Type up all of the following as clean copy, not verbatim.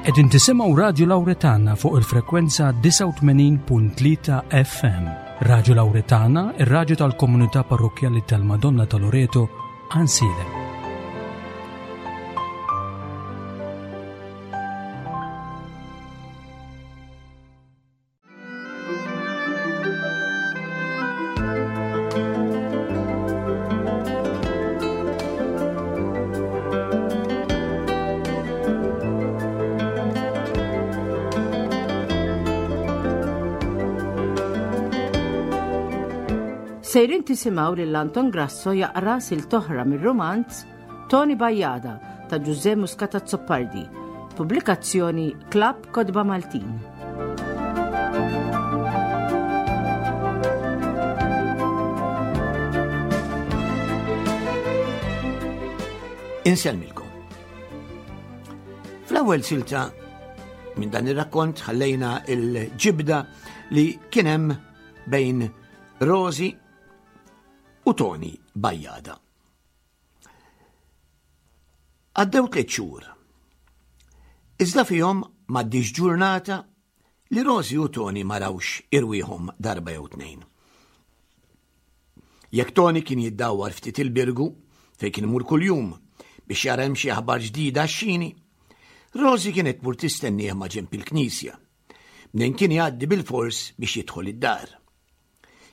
Qegħdin tisimgħu Radju Lawretana fuq il-frekwenza 89.3 FM. Radju Lawretana, ir-radju tal-komunità parrokkjali tal-Madonna ta' Loreto, Ansiedem. Sejrin tisimgħu lil Anton Grasso jaqra sil toħra mir-romanz Tony Bajjada ta' Ġużè Muscat Azzopardi, pubblikazzjoni Klabb Kotba Maltin. Insellmilkom. Fl-ewwel silta minn dan ir-rakkont ħallejna il-ġibda li kien hemm bejn Rosi u Tony Bajjada. Għaddew tliet xhur. Iżda fihom m'għaddiex ġurnata li Rosi u Tony ma rawx irwieħhom darba jew tnejn. Jekk Tony kien jiddawwar ftit il-Birgu fejn kien imur kuljum biex jara hemm xi aħbar ġdida għax-xini, Rosi kienet tmur tistennieh ma' ġenb il-knisja. Mnejn kien jgħaddi bilfors biex jidħol id-dar.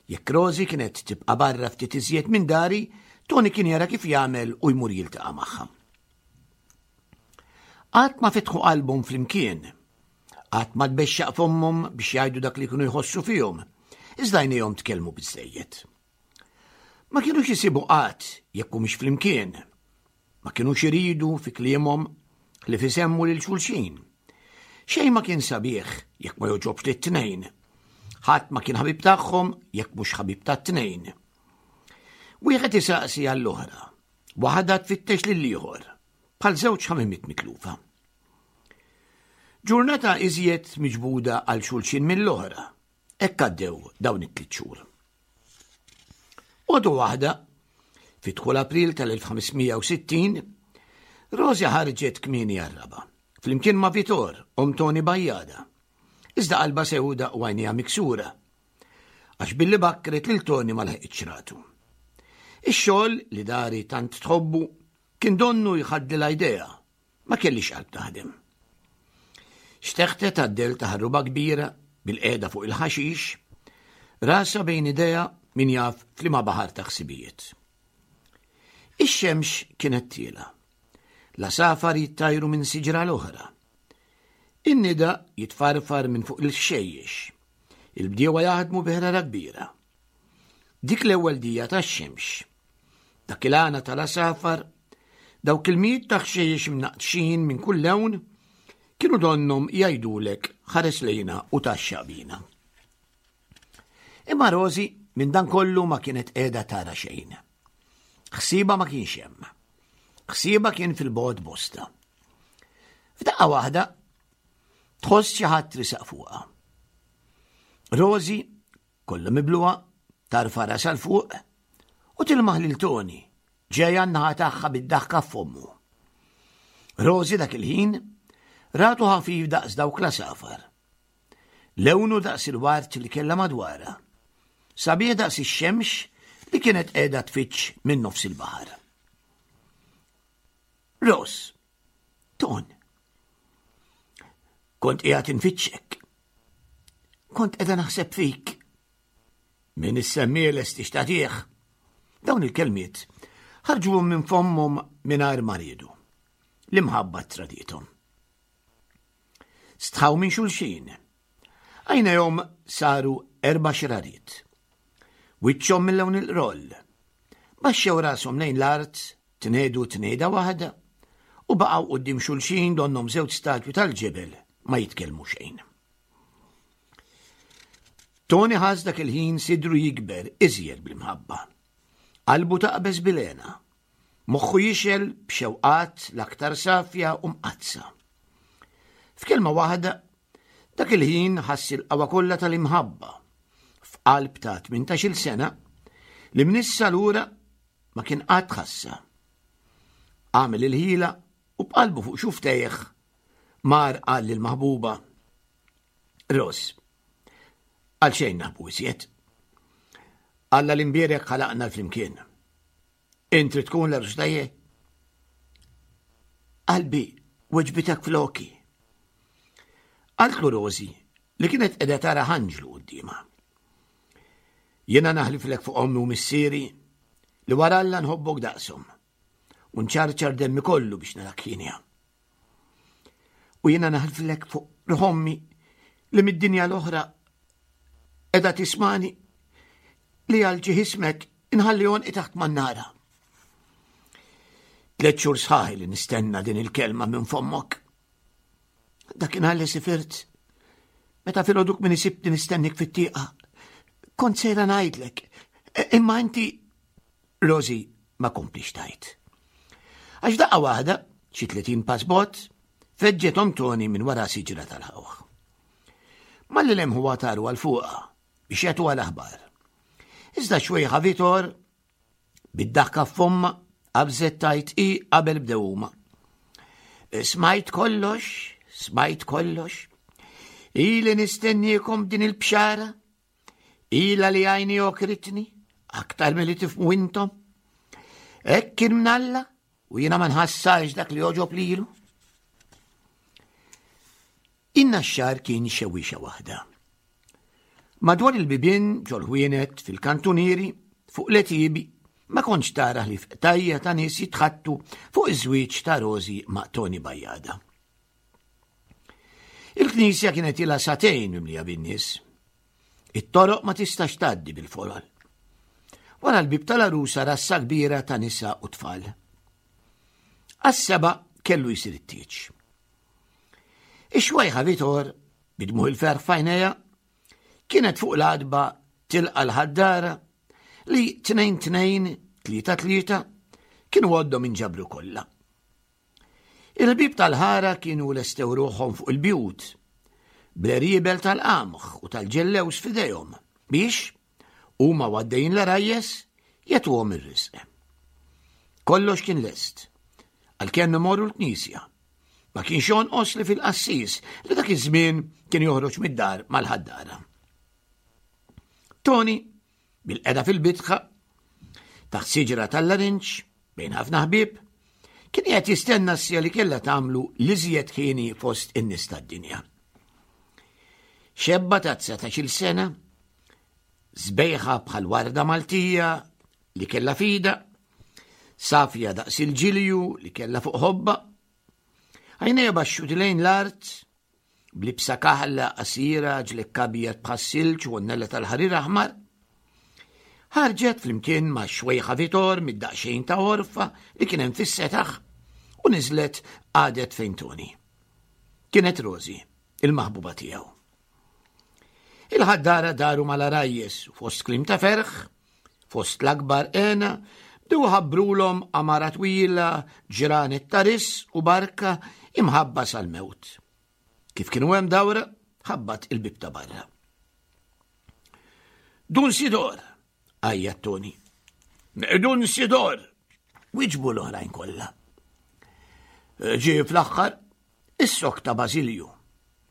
Jekk Rosie kienet tibqa' barra ftit iżjed minn dari, Tony kien jara kif jagħmel u jmur jiltaqa' magħha. Qatt ma fetħu qalbhom flimkien. Qatt ma tbexxaq fommhom biex jgħidu dak li kienu jħossu fihom, iżda għajnejhom tkellmu biżżejjed. Ma kinux isibu qatt jekk humiex flimkien. Ma kinux iridu fi kliemhom ħlief isemmu lil xulxin. Xejn ma kien sabiħ jekk ma jogħġobx lit-tnejn. Ħadd ma kien ħabib tagħhom jekk mhux ħabib tat-tnejn. Wieħed isaqsi għall-oħra, waħda tfittex lill-ieħor, bħal żewġ ħamimiet mitlufa. Ġurnata iżjed miġbuda għal xulxin mill-oħra, hekk għaddew dawn it-tliet xhur. Għodu waħda, fi dħul April tal-1560, Rosi ħarġet kmieni għar-raba, flimkien ma' Vitor, omm Toni Bajjada. Iżda qalba sewda u għajnejha miksura. Għax billi bakkret lil Toni ma laħqitx ratu. Ix-xogħol li dari tant tħobbu kien donnu jħaddilha idea Ma kellix qalb taħdem. Xteħtet għad-dell ta' ħarruba kbira bil-qiegħda fuq il-ħaxix, rasha bejn idejha min jaf f'liema baħar ta' ħsibijiet. Ix-xemx kienet tiela. L-għasafar jittajru minn siġra l-oħra. In-nida jitfarfar minn fuq il-ħxejjex. Il-bdiewa jaħdmu bi ħrara kbira. Dik l-ewwel dija tax-xemx. Dak il-għana tal-għasafar, dawk il-mijiet ta' ħxejjex mnaqqxin minn kull lewn, kienu donnhom jgħidulek ħares lejna u taxxa bina. Imma Rosi minn dan kollu ma kienet qiegħda tara xejn. Ħsiba ma kienx hemm. Ħsiba kien fil-bogħod bosta. F'daqqa waħda tħoss xi ħadd risaq fuqha. Rosi Kollha mibluha, tarfa' rasha 'l fuq u tilmaħ lil Tony ġej għan-naħa tagħha bid-daħka f'fommu. Rosie dak il-ħin ratu ħafif daqs dawk l-għasafar. Lewnu daqs il-ward li kellha madwarha. Sabiħ daqs ix-xemx li kienet qiegħda tfittx minn nofs il-baħar. Ros, Ton, kont qiegħed infittxek. Kont qiegħda naħseb fik. Min issemmieles tixtatih. Dawn il-kelmiet ħarġuhom minn fommhom mingħajr ma riedu. L-imħabba tradithom. Stħaw minn xulxin. Għajnejhom saru erba' xrariet. Wiċċhom mill-lewn il-qroll. Baxxew rashom lejn l-art, tnehdu tnehda waħda, u baqgħu quddiem xulxin donnhom żewġ statwi tal-ġebel ma jitkellmu xejn. Tony ħass dak il-ħin sidru jikber iżjed bl-imħabba. Qalbu taqbeż bil-hena. Moħħu jixgħel b'xewqat l-aktar safja u mqaddsa. F'kelma waħda, dak il-ħin ħass il-qawwa kollha tal-imħabba f'qalb ta' 18-il sena li minn issa lura ma kien qatt ħassha. Għamel il-ħila u b'qalbu fuq xuftejh. Mar qal lill-maħbuba, Ros, għal xejn naħbu iżjed. Alla l-imbierek ħalaqna flimkien. Int trid tkun l-għarus tiegħi? Qalbi weġbitek floki. Qaltlu Rosi li kienet qiegħda tara ħanġlu quddiemha. Jiena naħliflek fuq ommi u missieri li wara Alla nħobbok daqshom u nċarċar demmi kollu biex narak hienja. U jiena naħliflek fuq ruħommi li mid-dinja l-oħra edha tismani li għal ġiħismek inħalli għonqi taħt mannara. Tlet xhur sħaħi li nistenna din il-kelma minn fommok. Dakinhar li sifirt, meta filgħoduk min isibni nistennik fit-tieqa, kont sejra ngħidlek, e, imma inti Rosi ma komplix tajt. Għax daqqa waħda, xi 30 pass bot, feġġet om Toni minn wara siġra tal-ħawħ. Malli lemħu għataru għal fuqha biex jagħtuha l-aħbar. Iżda xwejħa Vitor Bid-daħka f'fomma, qabżet tajt i qabel bdew huma. Smajt kollox, smajt kollox. Ili nistenniekom din il-bxara, ila li għajni okritni, aktar milli tifmu intom. Hekk kien mnalla u jiena ma nħassarx dak li joġob lilu. In-naxxar kien xewwiexa waħda. Madwar il-bibien, ġol-ħwienet, fil-kantunieri, fuq l-għetiebi, ma kontx tara ħlief qtajja ta' nies jitħaddtu fuq iż-żwieġ ta' Rosi ma' Toni Bajada. Il-knisja kienet ilha sagħtejn mimlija bin-nies. It-toroq ma tistax tgħaddi bil-folol. Wara l-bib tal-għarusa rassa kbira ta' nisa u tfal. Għas-seba kellu jsir it-tieġ. Ix-xwejħa Vitor, bidmuħ il-ferħ f'għajnejha, kienet fuq l-għadba tilqa l-ħaddara li tnejn tnejn, tlieta tlieta, kienu għoddhom inġabru kollha. Il-bib tal-ħara kienu lestew ruħhom fuq il-bjut, bl-eriebel tal-qamħ u tal-ġellews f'idejhom biex, huma għaddejjin l-għarajjes, jagħtuhom ir-risq. Kollox kien lest, għalkemm imorru l-knisja. Ma kienx jonqos li fil-qassis li dak iż-żmien kien joħroġ mid-dar mal-ħaddara. Tony, bil-qeda fil-bitħa, taħt siġra tal-larinġ, bejn ħafna ħbieb, kien qiegħed jistenna s-sija li kellha tagħmlu l-iżjed ħini fost in-nies tad-dinja. Xebba ta' 19-il sena, sbejħa bħal warda Maltija li kellha fida, safja daqs il-ġilju li kellha fuq ħobba, għajnejha baxxuti lejn l-art, blibsa kaħla qasira ġlekk abjad bħas-silġ u għonnella tal-ħarir aħmar, ħarġet flimkien ma' xwejħa Vitor mid-daqsxejn ta' orfa li kien hemm fis-setaħ u niżlet għadet fejn Toni. Kienet Rosi, il-maħbuba tiegħu. Il-ħaddara daru mal-arajjes u fost klim ta' ferħ, fost l-akbar għena, bdew ħabbrulhom amara twila, ġranet ta' ris u barka imħabba sal-mewt. Kif kienu hemm dawra, ħabbat il-bib ta' barra. Dun Sidor, għajjat Toni. Dun Sidor, wiġbu l-oħrajn kollha. Ġie fl-aħħar Is-sokk ta' Bażilju,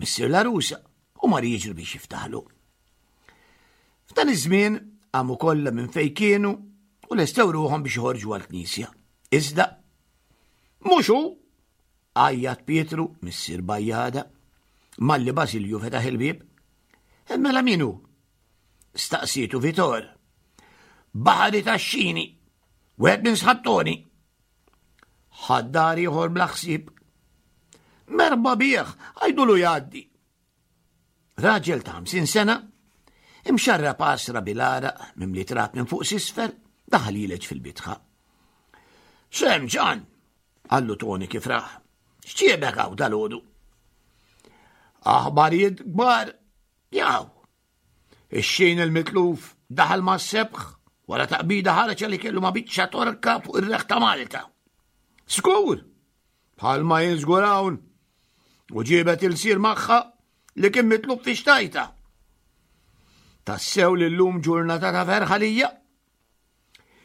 missier l-għarusa, u mar jiġri biex jiftaħlu. F'dan iż-żmien qamu kollha minn fejn kienu u lestew ruħhom biex joħorġu għall-knisja. Iżda, mhux hu, għajjat Pietru, missier Bajjada, malli Bażilju fetaħ il-bieb. E mela min hu? Staqsietu Vitor. Baħari tax-xini, wieħed minn sħab Toni. Ħaddar ieħor bla ħsieb. Merba bih, għajdulu jgħaddi. Raġel ta' 50 sena, imxarra pasra bil-għaraq mimli trab minn fuq sisfer, daħal jileġ fil-bitħa. Sem ġan, għallu Toni kif raħ. X'ġiebek hawn dal-għodu? Aħbarijiet kbar, jaw. Ix-xejn il-mitluf daħal mas-sebħ wara taqbida ħareġ li kellu ma' biċċa torka fuq ir-reħ ta' Malta. Skur! Bħalma jien żgur hawn. U ġiebet il-sir magħha li kien mitlub fi xtajta. Tassew li llum ġurnata ta' ferħa lija.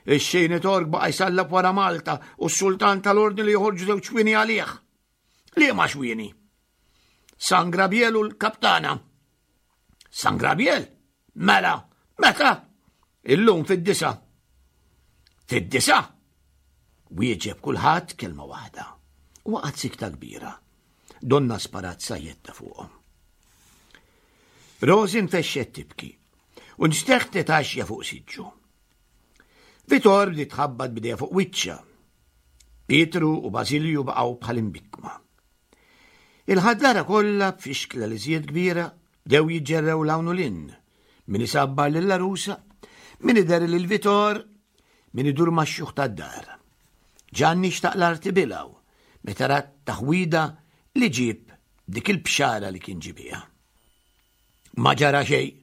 Ix-xejn tork baqa' jsallab wara Malta u s-sultan tal-ordni li joħorġu żewġ xwieni għalih. Liema xwieni? San Grabiel u l-kaptana. San Grabiel? Mela, meta? Illum fid-disa. Fid-disa? Wieġeb kulħadd kelma waħda. U waqgħet sikta kbira. Donna sparat sajjetta fuqhom. Rosi nfexxet tibki u nxteħtet għaxja fuq siġġu. Vitor li tħabbat bidejha fuq wiċċha. Pietru u Bażilju baqgħu bħal imbikkma. Il-ħaddara kollha b'fixkla li żied kbira bdew jiġġerrew l-hawn u lin, min isabbar lill-għarusa, min idher lil Vitor, min idur max-xjuħ tad-dar. Ġanni xtaq l-arti bilgħu meta ra t-taħwida li ġieb dik il-bxara li kien ġibiha. Ma ġara xejn,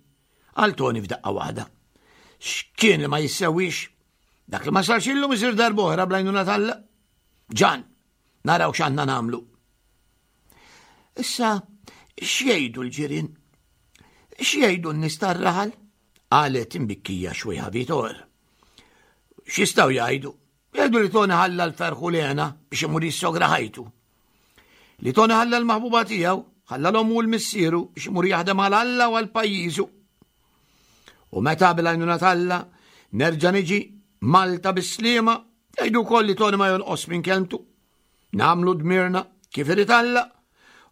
qal Toni f'daqqa waħda. X'kien li ma jissewwix? Dak li ma sarx illum isir darb'oħra bl-għajnuna t'Alla. Ġan, naraw x'għandna nagħmlu. Issa, x'jgħidu l-ġirien? X'jgħidu n-nies tar-raħal? Qalet imbikkija xwejħa Vitor. X'jistgħu jgħidu? Jgħidu li Toni ħalla l-ferħ u l-hena biex imur jissogra ħajtu. Li Toni ħalla l-maħbuba tiegħu, ħalla l-ommu u l-missieru biex imur jaħdem għal Alla u għal pajjiżu. U meta bil-għajnuna t'Alla nerġa' niġi Malta bis-sliema, jgħidu wkoll li Toni ma jonqos minn kelmtu. Nagħmlu dmirna kif irid Alla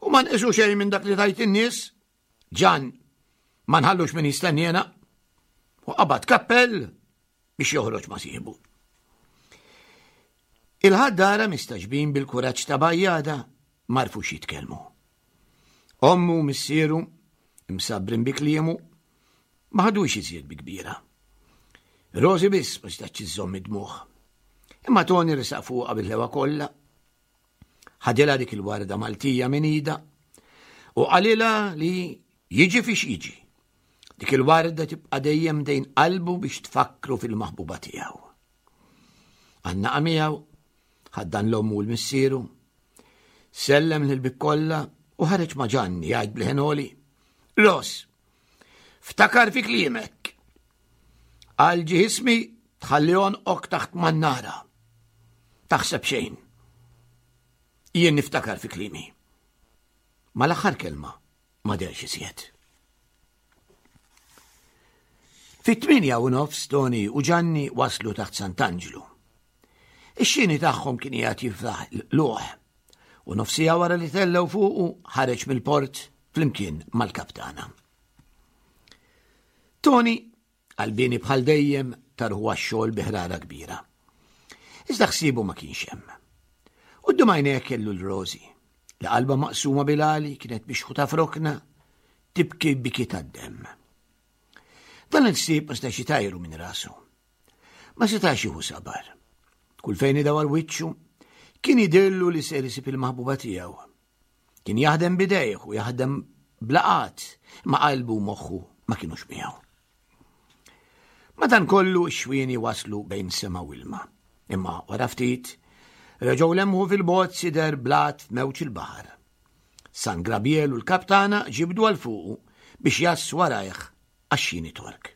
u ma nqisu xejn minn dak li tajt in-nies. Ġan, ma nħallux min jistenniena. U qabad kappell biex joħroġ ma' sieħbu. Il-ħaddara mistaġbin bil-kuraġġ ta' Bajjada m'għarfux jitkellmu. Ommu u missieru, imsabbrin bi kliemu, ma ħadux iżjed bi kbira. Rosi biss ma setax iżżomm id-dmugħ. Imma Toni resaq fuqha bil-ħewa kollha. Ħadilha dik il-warda Maltija minn idha u qalilha li jiġi fiex jiġi. Dik il-warda tibqa' dejjem dejn qalbu biex tfakkru fil-maħbuba tiegħu. Għannaqa miegħu, ħaddan l-ommu u l-missieru, sellem lil kollha u ħareġ ma' Ġanni jgħid bl-ħenoli. Ros, ftakar fi kliemek. Għal ġismi tħalli ok taħt mannara. Taħseb xejn. Jien niftakar fi klimi. Ma l-aħħar kelma ma derx iżjed. Fit-8 u nofs Toni u Ġanni waslu taħt Sant'Anġlu. Ix-xini tagħhom kien qiegħed jiftaħ l-luħ u nofsija wara li tellgħu fuqu ħareġ mill-port flimkien mal-kaptana. Toni Qalbieni bħal dejjem tarħu għax-xogħol bi ħrara kbira. Iżda ħsiebu ma kienx hemm. Quddiem għajnejh kellu l-Rosi, li qalba maqsuma bil-għali kienet mixħuta f'rokna tibki biki tad-demm. Dan il-ħsieb ma setax jitajru minn rasu. Ma setax jieħu sabar. Kull fejn idawar wiċċu, kien jidhirlu li ser isib il-maħbuba tiegħu. Kien jaħdem bidejh u jaħdem blaqat, ma qalbu u moħħu ma kienux miegħu. Madankollu x-xwieni waslu bejn sema u ilma. Imma wara ftit, reġgħu lemħu fil-bogħod sider blat f'mewġ il-baħar. San Grabiel u l-kaptana ġibdu għal fuqu biex jassu warajh għax-xini Tork.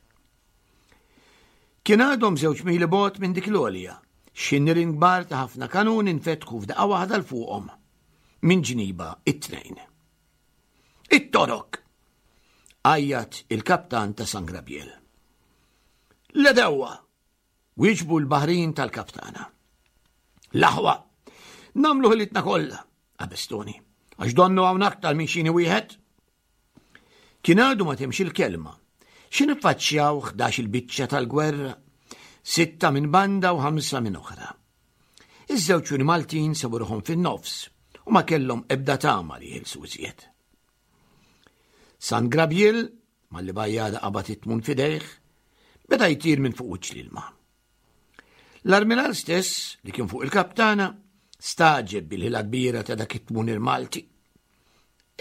Kien għadhom żewġ mili bogħod minn dik l-għolja, xi nirien kbar ta' ħafna kanun infetħu f'daqqa waħda l fuqhom minn ġniba it-tnejn. It-Torok! Għajjat il-kaptan ta' San Grabiel. L-edewwa! Wieġbu l-baħrin tal-kaptana. L-aħwa! Namlu ħilitna kollha, qabestuni, għax donnu hawn aktar minn xini wieħed. Kien għadu ma temx il-kelma. Xi niffaċċjaw 11 il-biċċa tal-gwerra, sitta minn banda u ħamsa minn oħra. Iż-żewġ juni Maltin sabu ruħhom fin-nofs u ma kellhom ebda tama li jħilsu iżjed. San Grabiel, malli bajjada qabad it-tmun fidejh, beda jtir minn fuq wiċċ l-ilma. L-armiral stess, li kien fuq il-kaptana, staġeb bil-ħila kbira ta' dak it-tmunir Malti.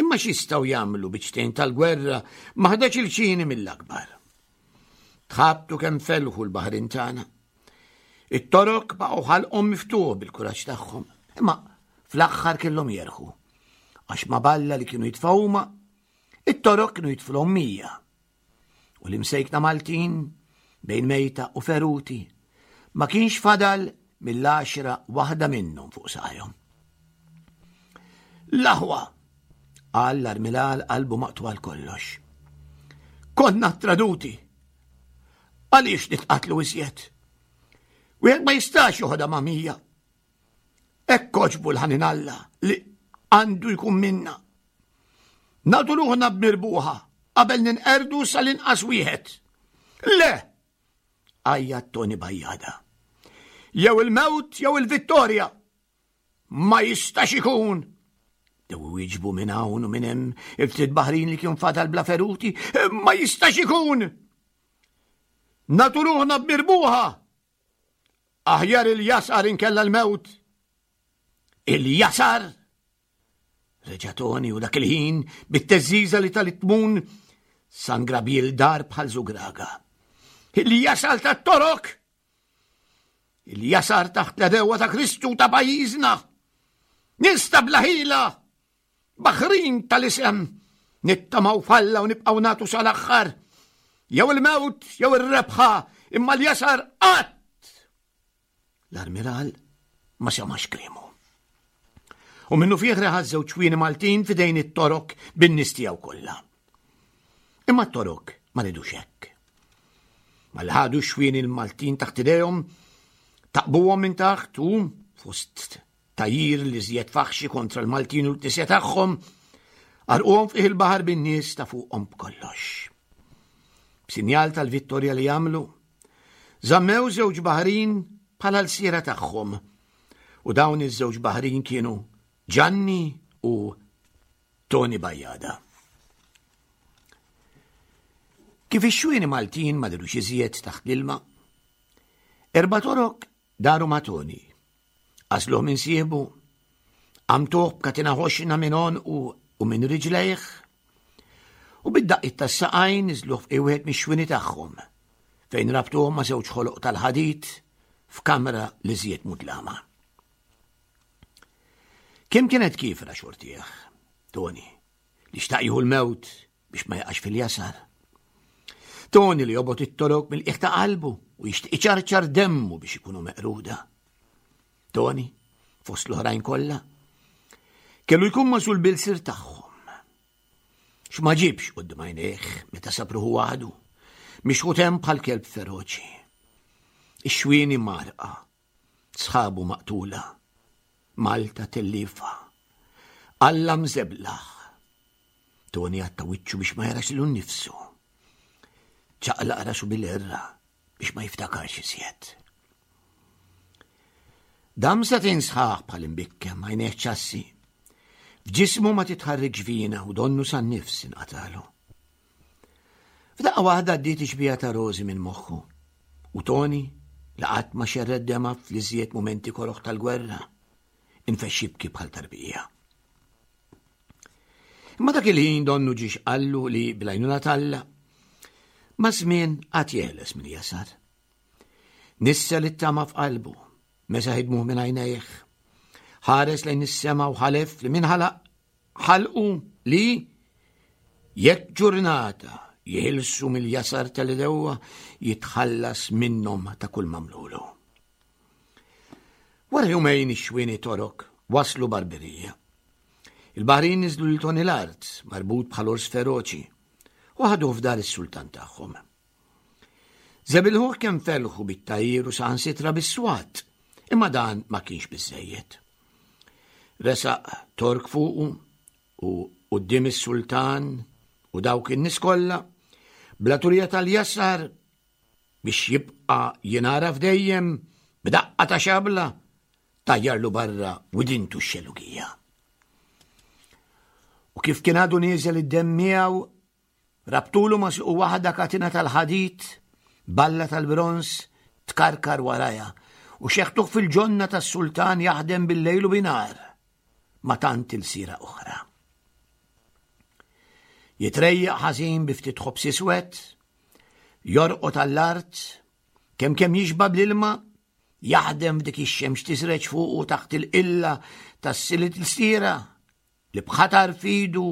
Imma x'jistgħu jagħmlu biċtejn tal-gwerra ma ħdax il-ċini mill-akbar. Tħabtu kemm felħu l-baħrin tagħna. It-torok baqgħu ħalqhom miftuħ bil-kuraġġ tagħhom, imma fl-aħħar kellhom jerħu. Għax ma balla li kienu jitfgħu huma, it-torok kienu jitflhom mija. U l-imsejkna Maltin bejn mejta u feruti ma kienx fadal mill-għaxra waħda minnhom fuq saqajhom. L-aħwa! Qal l-armilal qalbu maqtugħa għal kollox. Konna traduti. Għaliex nitqatlu iżjed? Wieħed ma jistax joħodha ma' mija. Hekk għoġbu l-ħanin Alla li għandu jkun minna. Nagħtu ruħna b'mirbuħa qabel ninqerdu sal-inqas wieħed. Le! Għajjat Tony Bajjada. Jew il-mewt jew il-vittorja. Ma jistax ikun! Dew iwieġbu minn hawn u minn hemm il-ftit baħrin li kien fadal bla feruti. Ma jistax ikun! Nagħtu ruħna b'mirbuħa! Aħjar il-jasar inkella l-mewt. Il-jasar? Reġa' Toni u dak il-ħin bit-teżżiża li tal-tmun San Grabiel dar bħal żugraga. Il-jasal tat-torok! Il-jasar taħt l-edewa ta' Kristu ta' pajjiżna! Nista bla ħila! Baħrin tal-isem! Nittamaw falla u nibqgħu nagħtu sal-aħħar! Jew il-mewt jew ir-rebħa, imma l-jasar qatt! L-armiral ma semax kliemu. U minnu fih reħa żewġ ċwieni Maltin fidejn it-torok bin-nies tiegħu kollha. Imma t-torok ma ridux hekk. Mal-ħadu xwieni l-Maltin taħt idejhom, taqbuhom minn taħt u fost tajir li żjed faħxi kontra l-Maltin u l-knisja tagħhom, għarquhom fih il-baħar bin-nies ta' fuqhom b'kollox. B'sinjal tal-vittorja li għamlu, Żammew żewġ baħrin bħala lsiera tagħhom u dawn iż-żewġ baħrin kienu Ġanni u Toni Bajjada. Kif ix-xwieni Maltin ma dirux iżjed taħt l-ilma, erba' torok daru ma' Toni. Għażluh minn sieħbu, għamtuh b'katina ħoxna minn għonqu u minn riġlejh, u bid-daqqiet tas-saqajn niżluh f'qiegħ wieħed mix-xwieni tagħhom, fejn rabtuh ma' żewġ ħoloq tal-ħadid f'kamra li żjed mudlama. Kemm kienet kiefra xortih, Toni, li xtaq jieħu l-mewt biex ma jaqax fil-jasar. Toni li jobgħod it-torok mill-qiegħ ta' qalbu u jixtieq iċarċar demmu biex ikunu meqruda. Toni, fost l-oħrajn kollha, kellu jkun masul bil-sir tagħhom. X'ma ġibx quddiem għajnejh meta sab ruħu waħdu, mixħut hemm bħal kelb feroċi. Ix-xwieni marqa, sħabu maqtula, Malta tellifa. Alla mżeblaħ. Toni għatta wiċċu biex ma jarax lilu nnifsu. Ċaqlaq rasu bil-erra biex ma jiftakarx iżjed. Dam satin sħaħ bħal imbikkem għajnejh ċassi. F'ġismu ma titħarrikx vina u donnu san nifs inqatalu. F'daqqa waħda għaddiet ixbija ta' Rosi minn moħħu. U Toni, li qatt ma xerred dema fl-iżjed mumenti koroħ tal-gwerra, infexx jibki bħal tarbija. Imma dak il-ħin donnu ġiex qallu li bl-għajnuna t'Alla ma żmien qatt jeħles minn jasar. Nissel it-tama f'qalbu, mesaħ id-dmugħ minn għajnejh. Ħares lejn is-sema u ħalef li min ħalaq ħalqu li jekk ġurnata jeħilsu mill-jasar tal-idewwa jitħallas minnhom ta' kull mamlulu. Wara jumejn ix-xwieni torok waslu Barberija. Il-baħrin niżlu lil Tony l-art, marbut bħal ors feroċi, u ħaduh f'dar is-sultan tagħhom. Żebilħuh kemm felħu bit-tgħajjir u saħansitra bis-swat, imma dan ma kienx biżżejjed. Resaq Tork fuqu u quddiem is-sultan u dawk in-nies kollha, bla turija tal-jasar biex jibqa' jingħaraf dejjem b'daqqa ta' xabla tajjarlu barra widintu x-xellugija. U kif kien għadu nieżel id-demm miegħu Rabtulu ma' suqu waħda katina tal-ħadid, balla tal-bronż tkarkar warajha, u xeħtuh fil-ġonna tas-sultan jaħdem bil-lejl u binhar ma' tant ilsiera oħra. Jitrejjaq ħażin bi ftit ħobż iswed, jorqod għall-art, kemm kemm jixba' bl-ilma, jaħdem f'dik ix-xemx tiżreġ fuqu taħt il-qilla tas-silit l-siera li b'ħatar f'idu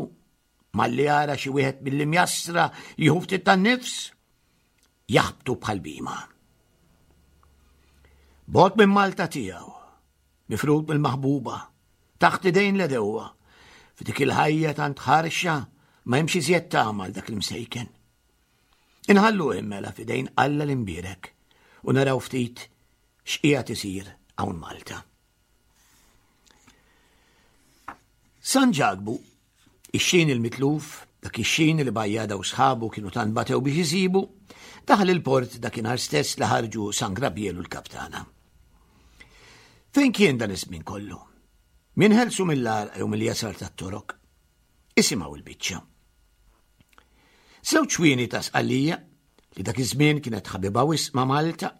malli jara xi wieħed mill-imjassra jieħu ftit tan-nifs, jaħbtu bħal bima. Bot minn Malta tiegħu, mifrud mill-maħbuba, taħt idejn l-edewwa, F'dik il-ħajja tant ħarxa ma hemmx iżjed tama għal dak l-imsejken. Inħallu mela f'idejn Alla l-imbierek u naraw ftit x'qiegħed isir hawn Malta. San Ġakbu, ix-xin il-mitluf, dak ix-xin li Bajjada u sħabu kienu tant batew biex isibu, daħal il-port dakinhar stess li ħarġu San Grabiel u l-kaptana. Fejn kien dan iż-żmien kollu? Min ħelsu mill-għarqa jew mill-jasar tat-torok? Isimgħu il-biċċa. Żewġ wieni ta' Sqallija, li dak iż-żmien kienet ħabiba wisq ma' Malta,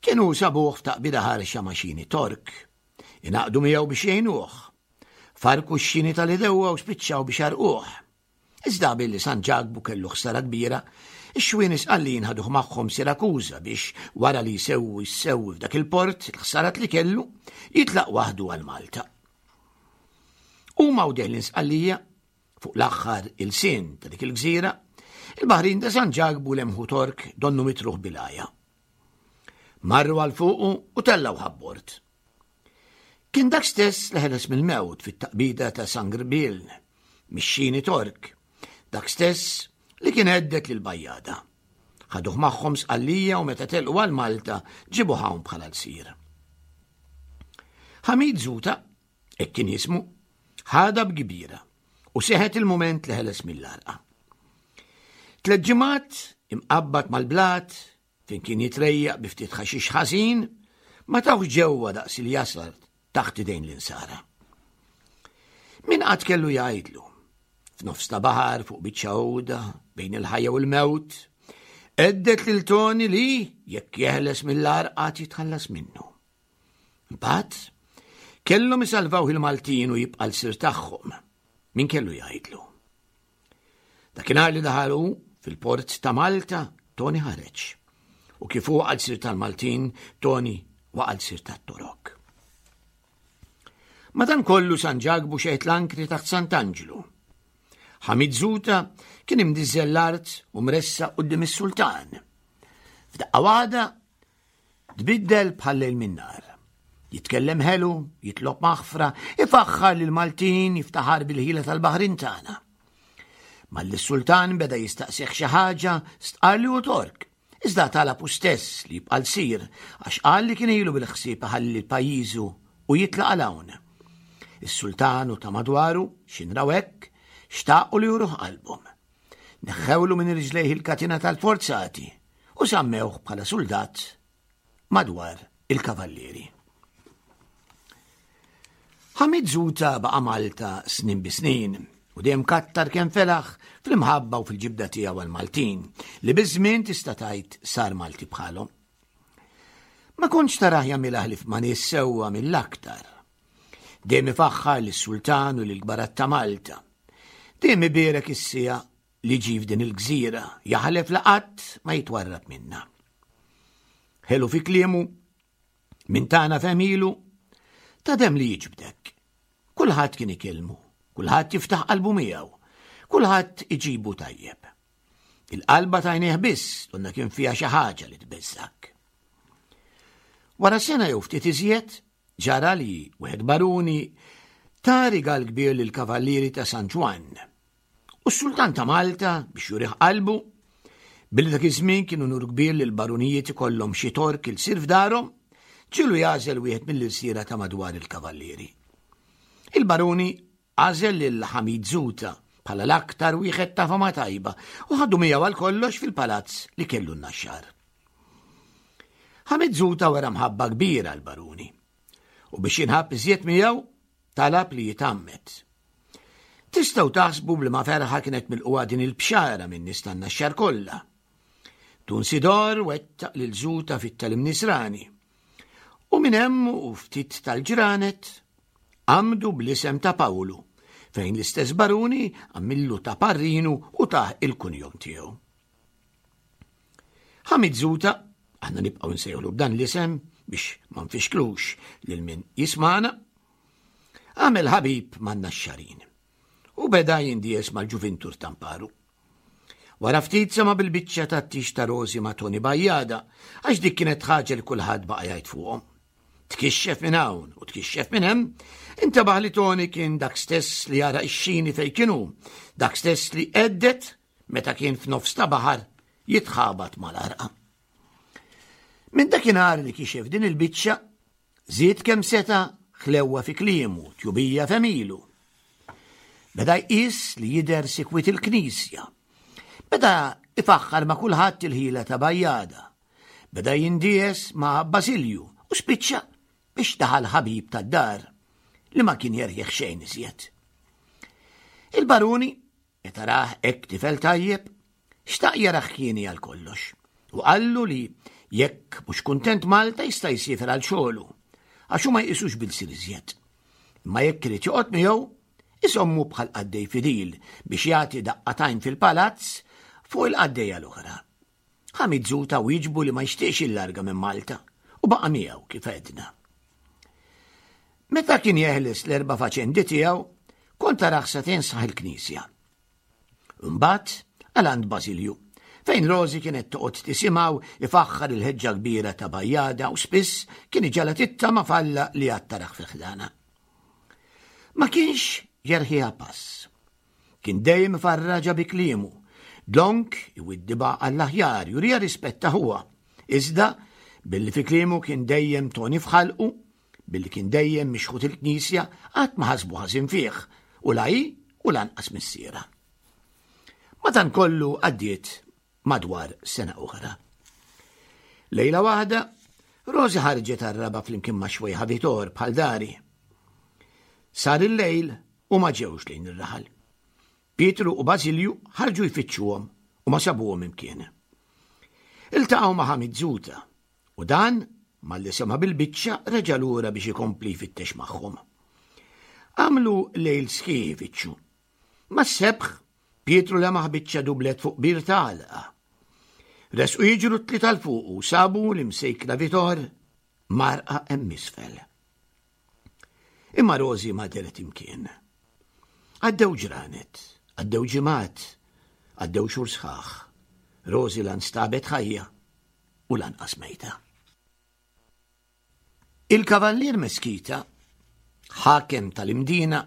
kienu sabuh f'taqbida ħarxa ma' xini Tork. Ingħaqdu miegħu biex jgħinuh. Farku x-xini tal-idewwa u spiċċaw biex għarquh. Iżda billi San Ġakbu kellu ħsara kbira, ix-xwieni Sqallin ħaduh magħhom Sirakuża biex wara li jsewwi s-sewwi f'dak il-port il-ħsarat li kellu, jitlaq waħdu għal Malta. Huma u deħlin Sqallija, fuq l-aħħar ilsien ta' dik il-gżira, il-baħrin ta' San Ġakbu lemħu Tork donnu mitruħ bil-għaja. Marru għal fuqu u tellgħu ħabbord. Kien dak stess li ħeles mill-mewt fit-taqbida ta' San Grbil, mix-xini Tork, dak stess li kien għeddet lil Bajjada. Ħaduh magħhom Sqallija u meta telqu għal Malta ġibuh hawn bħala lsir. Ħamid Zuta, hekk kien jismu, ħadha b'kbira u seħet il-mument li ħeles mill-għarqa. Tlet ġimgħat imqabbad mal-blat fejn kien jitrejjaq bi ftit ħaxix ħażin, ma tawx ġewwa daqs il-jasar taħt idejn l-insara. Min qatt kellu jgħidlu, f'nofs ta' baħar fuq biċċa għuda bejn il-ħajja u l-mewt, għeddet lil Toni li jekk jeħles mill-għar qatt jitħallas minnu. Imbagħad kellhom isalvaw il-Maltin u jibqa' l-sir tagħhom. Min kellu jgħidlu? Dakinhar li daħal hu fil-port ta' Malta, Toni ħareġ. U kif hu għal sir tal-Maltin, Toni waqa' l-sir tat-Torok. Madankollu San Ġakbu xeħet l-ankri taħt Sant'Anġlu. Ħamid Zuta kien imdiżżel l-art u mressaq quddiem is-sultan. F'daqqa waħda Tbiddel bħal lejl min-nar. Jitkellem ħelu, jitlob maħfra, ifaħħar lil Maltin, jiftaħar bil-ħila tal-baħrin tagħna. Malli s-sultan beda jistaqsih xi ħaġa, stqar li hu Tork. Iżda talab hu stess li jibqa' lsir għax qal li kien ilu bil-ħsieb iħalli pajjiżu u jitlaq għal hawn. Is-sultan u ta' madwaru, x'inraw hekk, xtaqu li juruh qalbhom. Neħħewlu minn riġlejh il-katina tal-forzati u sammewh bħala suldat madwar il-kavallieri. Ħamid Zuta baqa' Malta snin bi snin u dejjem kattar kemm felaħ fl-imħabba u fil-ġibda tiegħu għall-Maltin li biż-żmien tista' tgħid sar Malti bħalhom. Ma kontx tarah jagħmilha ħlief ma' nies sewwa mill-aktar. Dejjem ifaħħar lis-Sultan u lill-kbarat ta' Malta. Dejjem ibierek is-siegħa li ġie f'din il-gżira, jaħlef li qatt ma jitwarrab minnha. Ħelu fi kliemu, minn tagħna f'għemilu, ta' demm li jiġbdek. Kulħadd kien ikellmu, kulħadd jiftaħ qalbu miegħu, kulħadd iġibu tajjeb. Il-qalba t'għajnejh biss donna kien fiha xi ħaġa li tbeżżak. Wara sena jew ftit iżjed, ġara li wieħed baruni ta rigal kbir lill-kavallieri ta' San Ġwann. U s-Sultan ta' Malta, biex jurih qalbu, billi dak iż-żmien kien unur kbir li l-barunijiet ikollhom xi tork ilsir f'darhom, ġielu jagħżel wieħed mill-ilsiera ta' madwar il-kavallieri. Il-baruni għażel lil Ħamid Zuta bħala l-aktar wieħed ta' fama tajba u ħadu miegħu għal kollox fil-palazz li kellu n-Naxxar. Ħamid Zuta wera mħabba kbira l-baruni u biex jinħabb iżjed miegħu talab li jitgħammed. Tistgħu taħsbu b'liema ferħa kienet milqugħa din il-bxara minn nies tan-Naxxar kollha. Dun Sidor wettaq lil Zuta fit-tagħlim Nisrani. U minn hemm u ftit tal-ġranet għamdu bl-isem ta' Pawlu, fejn l-istess baruni għamillu ta' parrinu u tah il-kunjom tiegħu. Ħamid Zuta, aħna nibqgħu nsejħlu b'dan l-isem biex ma nfixklux lil min jismana, għamel ħabib man-Naxxarin u beda jindies mal-ġuvintur tamparu. Wara ftit sema bil-biċċa tat-tix ta' Rosi ma' Toni Bajjada, għax dik kienet ħaġa li kulħadd baqa' jgħid fuqhom. Tkixxef minn hawn u tkixxef minn hemm, intabaħ li Toni kien dak stess li jara x-xini fejn kienu, dak stess li għeddet meta kien f'nofs ta' baħar jitħabat mal-għarqa. Minn dakinhar li kixef din il-biċċa, żied kemm seta' ħlewwa fi kliemu, tjubija f'għemilu. Beda jqis li jidher sikwit il-knisja. Beda ifaħħar ma' kulħadd il-ħila ta' Bajjada. Beda jindies ma' Basilju u spiċċa biex daħal ħabib tad-dar li ma kien jerħieħ xejn iżjed. Il-baruni, meta rah hekk tifel tajjeb, xtaq jarah hieni għal kollox u qallu li jekk mhux kuntent Malta jista' jsiefer għal xogħlu għax hu ma jqisux bil-sir iżjed. Imma jekk irid joqgħod miegħu, isommu bħal qaddej fidil biex jagħti daqqa t'għajn fil-palazz fuq il-qaddejja l-oħra. Hamid Zuta wieġbu li ma jixtieqx jillarga minn Malta u baqa' miegħu kif għedna. Meta kien jeħles l-erba' faċendi tiegħu, kont tarah sagħtejn sħaħ il-knisja. Imbagħad għal għand Basilju, fejn Rosi kienet toqgħod tisimgħu ifaħħar il-ħeġġa kbira ta' Bajjada u spiss kien iġagħalha tittama f'Alla li għad tarah fi ħdana. Ma kienx jerħiha pass. Kien dejjem ifarraġha bi kliemu. Dlonk iwiddibha għall-aħjar, juriha rispett ta' ħuha. Iżda, billi fi kliemu kien dejjem Toni f'ħalqu, billi kien dejjem mixħut il-knisja, qatt ma ħasbu ħażin fih, u la hi u lanqas missierha. Madankollu għaddiet madwar sena oħra. Lejla waħda, Rosi ħarġet għar-raba' flimkien ma' xwejħa Vitor bħal dari. Sar il-lejl u ma ġewx lejn ir-raħal. Pietru u Bażilju ħarġu jfittxuhom u ma sabuhom imkien. Iltaqgħu ma' Ħamid Zuta u dan malli sema' bil-biċċa reġa' lura biex ikompli jfittex magħhom. Għamlu lejl sħiħ ifittxu. Mas-sebħ, Pietru lemaħ biċċa dublet fuq bir ta' għalqa. Resqu jiġru t-tlieta 'l fuq u sabu l-imsejkna Vitor mgħarrqa hemm isfel. Imma Rosi ma dehret imkien. Għaddew ġranet, għaddew ġimgħat, għaddew xhur sħaħ. Rosi la nstabet ħajja u lanqas mejta. Il-Kavallier Mesquita, ħakem tal-Imdina,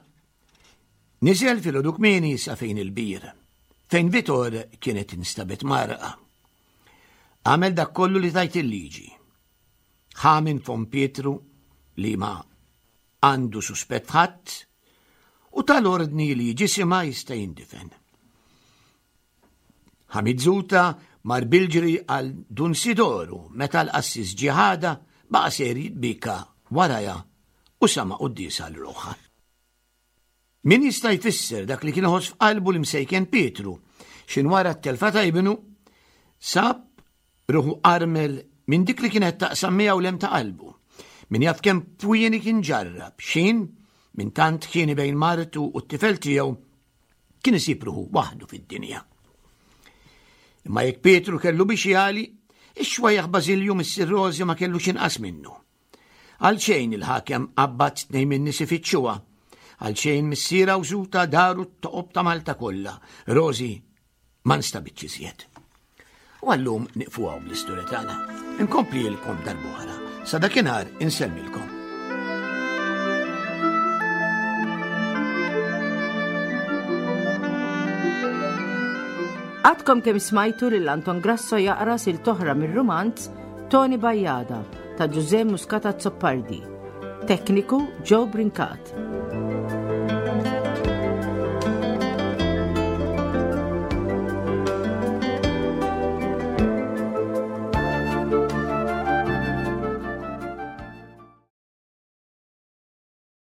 niżel filgħodu kmieni sa fejn il-bir, fejn Vitor kienet instabet mgħarrqa. Għamel dak kollu li tgħid il-liġi. Ħa minn fomm Pietru li ma għandu suspett f'ħadd u ta l-ordni li ġisimha jista' jindifen. Ħamidzuta mar bil-ġri għal Dun Sidoru meta l-qassis ġie ħadha baqa' sejjer jitbieka warajha u sama' quddiesa għal ruħha. Min jista' jfisser dak li kien iħoss f'qalbu l-imsejken Pietru x'in wara t-telfa ta' ibnu sab ruħu armel minn dik li kienet taqsam miegħu l-hemm ta' qalbu. Min jaf kemm fwieni kien ġarrab, x'in minn tant ħieni bejn martu u t-tifel tiegħu kien isib ruħu waħdu fid-dinja. Imma jekk Pietru kellu biex jali, ix-xwejjaħ Bażilju missier Rożi ma kellux inqas minnu. Għal xejn il-ħakem qabbad tnejn minn nies ifittxuha. Għal xejn missierha u żuta daru t-toqob ta' Malta kollha. Rożi ma nstabitx iżjed. U għallum niqfu hawn bl-istorja tagħna. Inkomplilkom darb'oħra. Sa dakinhar insellmilkom. Għadkom kemm smajtu lil Anton Grasso jaqra sil toħra mir-rumanz Toni Bajjada ta' Ġużè Muscat Azzopardi. Tekniku Joe Brincat.